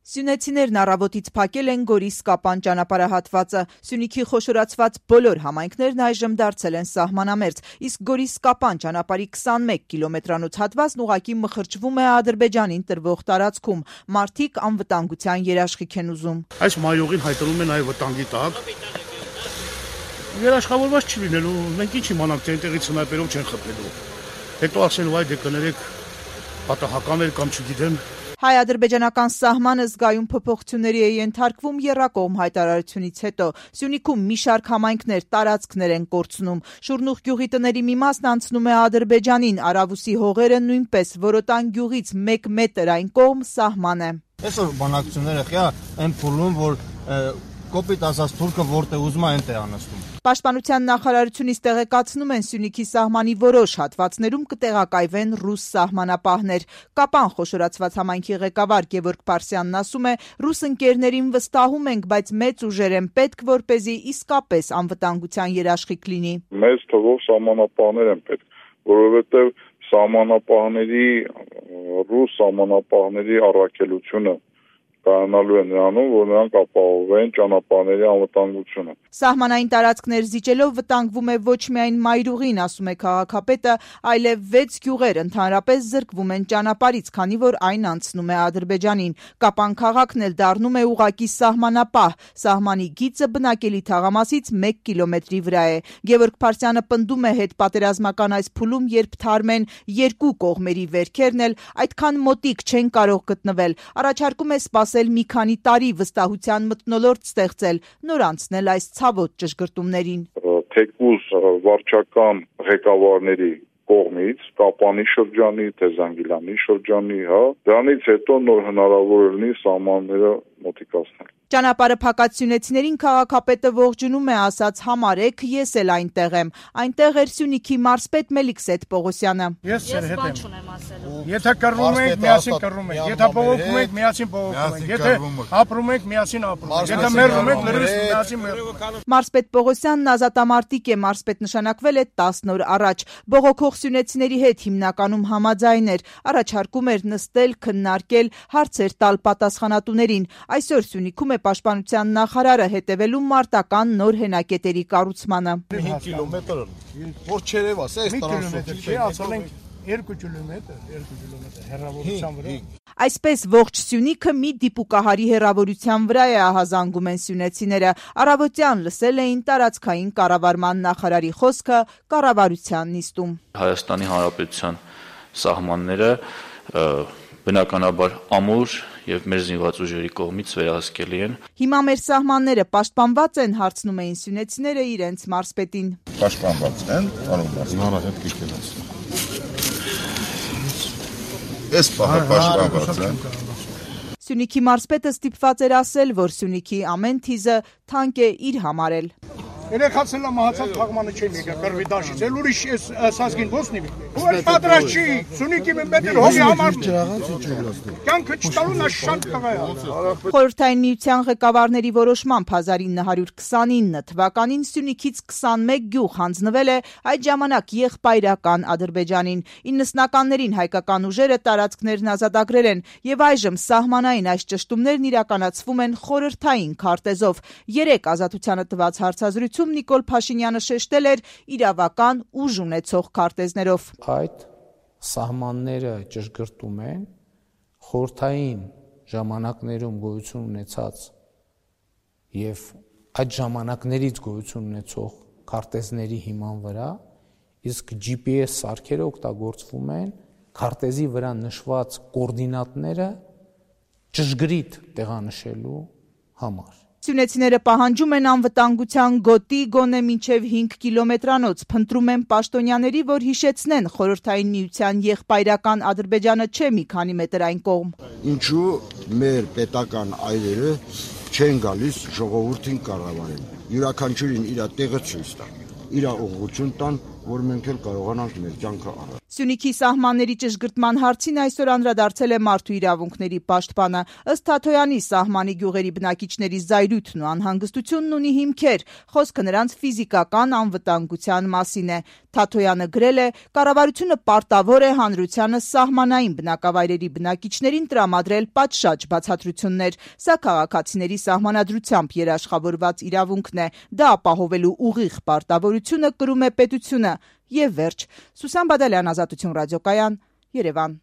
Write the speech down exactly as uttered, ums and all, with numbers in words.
Սյունեցիներն առավոտից փակել են Գորիս-Կապան ճանապարհահատվածը։ Սյունիքի խոշորացված բոլոր համայնքներն այժմ դարձել են սահմանամերձ, իսկ Գորիս-Կապան ճանապարհի քսանմեկ կիլոմետրանոց հատվածն ուղղակի մխրճվում է Ադրբեջանին տրվող տարածքում։ Մարդիկ անվտանգության երաշխիք են ուզում։ Այս մայրուղին հայտնվում են այ վտանգի տակ։ Երաշխավորված չի լինելու, մենք ինչ իմանանք, թե այնտեղից սնայպերով չեն խփելու։ Հետո ասելու այ դե կներեք պատահական էր կամ չգիտեմ։ Հայ-ադրբեջանական սահմանը զգայուն փոփոխությունների է ենթարկվում եռակողմ հայտարարությունից հետո։ Սյունիքում մի շարք համայնքներ տարածքներ են կորցնում։ Շուրնուղ գյուղի տների մի մասն անցնում է Ադրբեջանին, Արավուսի հողերը նույնպես, Որոտան գյուղից մեկ մետր այն կողմ սահման է։ Այսօր բանակցությունները խիա այն փուլում, որ կոպիտ ասած թուրքը որտեղ ուզում է այնտեղ անցնում։ Պաշտպանության նախարարությունից տեղեկացնում են Սյունիքի սահմանի որոշ հատվածներում կտեղակայվեն ռուս սահմանապահներ։ Կապան խոշորացված համայնքի ղեկավար Գևորգ Փարսյանն ասում է, ռուս ընկերներին վստահում ենք, բայց մեծ ուժեր են պետք, որպեսզի իսկապես անվտանգության երաշխիք լինի։ Մեծ թվով սահմանապահներ են պետք, որովհետև սահմանապահների ռուս սահմանապահների առաքելությունը կայանալու է նրանում, որ նրանք ապահովեն ճանապարհների անվտանգությունը։ Սահմանային տարածքներ զիջելով վտանգվում է ոչ միայն մայրուղին, ասում է քաղաքապետը, այլև վեց գյուղեր ընդհանրապես զրկվում են ճանապարհից, քանի որ այն անցնում է Ադրբեջանին։ Կապան քաղաքն էլ դառնում է ուղղակի սահմանապահ։ Սահմանի գիծը բնակելի թաղամասից մեկ կիլոմետրի վրա է։ Գևորգ Փարսյանը պնդում է հետպատերազմական այս փուլում, երբ թարմ են երկու կողմերի վերքերն էլ այդքան մոտիկ չեն կարող գտնվել։ Առաջարկում է սպասել մի քանի տարի, վստահության մթնոլորտ ստեղծել, նոր անցնել այս ցավոտ ճշգրտումներին։ Թեկուզ վարչական ղեկավարների կողմից, Կապանի շրջանի, Թեզանգիլանի շրջանի, հա, դրանից հետո նոր հնարավոր լինի սահմանները մոտիկացնել։ Ճանապարհը փակած սյունեցիներին քաղաքապետը ողջունում է, ասաց համարեք, ես էլ այնտեղ եմ։ Այնտեղ էր Սյունիքի մարզպետ Մելիքսեթ Պողոսյանը։ Ես ձեր հետ եմ։ Եթե կռվում եք, միասին կռվում եք։ Եթե բողոքում եք, միասին բողոքում եք։ Եթե ապրում եք, միասին ապրում եք։ Եթե մեռնում եք, լրիվ միասին մեռնում։ Մարզպետ Պողոսյանն ազատամարտիկ է, մարզպետ նշանակվել է տասն օր առաջ։ Բողոքող սյունեցիների հետ հիմնականում համաձայն էր, առաջարկում էր նստել, քննարկել, հարցեր տալ պատասխանատուներին։ Այսօր Սյունիքում է Պաշտպանության նախարարը հետևելու մարտական նոր հենակետերի կառուցմանը։ հինգ կիլոմետր, որ չերևաս, այս տրանսպորտի չի ասել ենք երկու կիլոմետր, երկու կիլոմետր հեռավորության վրա։ Այսպես ողջ Սյունիքը մի դիպուկահարի հեռավորության վրա է, ահազանգում են սյունեցիները։ Առավոտյան լսել էին տարածքային կառավարման նախարարի խոսքը կառավարության նիստում։ Հայաստանի Հանրապետության սահմանները բնականաբար ամուր եւ մեր զինված ուժերի կողմից վերահսկելի են։ Հիմա մեր սահմանները պաշտպանված են, հարցնում էին սյունեցիները իրենց մարզպետին։ Պաշտպանված են, պարոն մարզպետ, հանրա հետ կիքելած։ Այս պահը պաշտպանված են։ Սյունիքի մարզպետը ստիպված էր ասել, որ Սյունիքի ամեն թիզը թանկ է իր համարել։ Երեքացել մահացած թաղմանը չեմ եկա կրվի դաշից, էլ ուրիշ սազգին ոսնի ու էլ պատրաստ չի, Սյունիքի մետր հողի համար կյանքը չտալու նա շատ տղա է։ Խորհրդային միության ղեկավարների որոշմամբ հազար ինը հարյուր քսանինը թվականին Սյունիքից քսանմեկ գյուղ հանձնվել է այդ ժամանակ եղբայրական Ադրբեջանին։ իննսնականներին հայկական ուժերը տարածքներն ազատագրել են եւ այժմ սահմանային այս ճշտումներն իրականացվում են խորհրդային քարտեզով։ Երեք ազատությանը տված հարցազրույց Նիկոլ Փաշինյանը շեշտել էր իրավական ուժ ունեցող քարտեզներով։ Այդ սահմանները ճշգրտում են խորհրդային ժամանակներում գոյություն ունեցած եւ այդ ժամանակներից գոյություն ունեցող քարտեզների հիման վրա, իսկ Ջի Պի Էս սարքերը օգտագործվում են քարտեզի վրա նշված կոորդինատները ճշգրիտ տեղանշելու համար։ Սյունեցիները պահանջում են անվտանգության գոտի գոնե մինչև հինգ կիլոմետրանոց, փնտրում են պաշտոնյաների, որ հիշեցնեն խորհրդային միության եղբայրական Ադրբեջանը չէ մի քանի մետր այն կողմ։ Ինչու մեր պետական այրերը չեն գալիս ժողովրդին կառավարել։ Յուրաքանչյուրին իր տեղը ցույց տան, իր ուղղություն տան, որ մենք էլ կարողանանք մեր կյանքը առնել։ Սյունիքի սահմանների ճշգրտման հարցին այսօր անդրադարձել է Մարդու իրավունքների պաշտպանը։ Ըստ Թաթոյանի, սահմանի գյուղերի բնակիչների զայրույթն ու անհանգստությունն ունի հիմքեր, խոսքը նրանց ֆիզիկական անվտանգության մասին է։ Թաթոյանը գրել է. «Կառավարությունը պարտավոր է հանրությանը սահմանային բնակավայրերի բնակիչներին տրամադրել պատշաճ բացատրություններ։ Սա քաղաքացիների սահմանադրությամբ երաշխավորված իրավունքն է։ Դա ապահովելու ուղիղ պարտավորությունը կրում է պետությունը»։ Եվ վերջ։ Սուսան Բադալյան, Ազատություն ռադիոկայան, Երևան։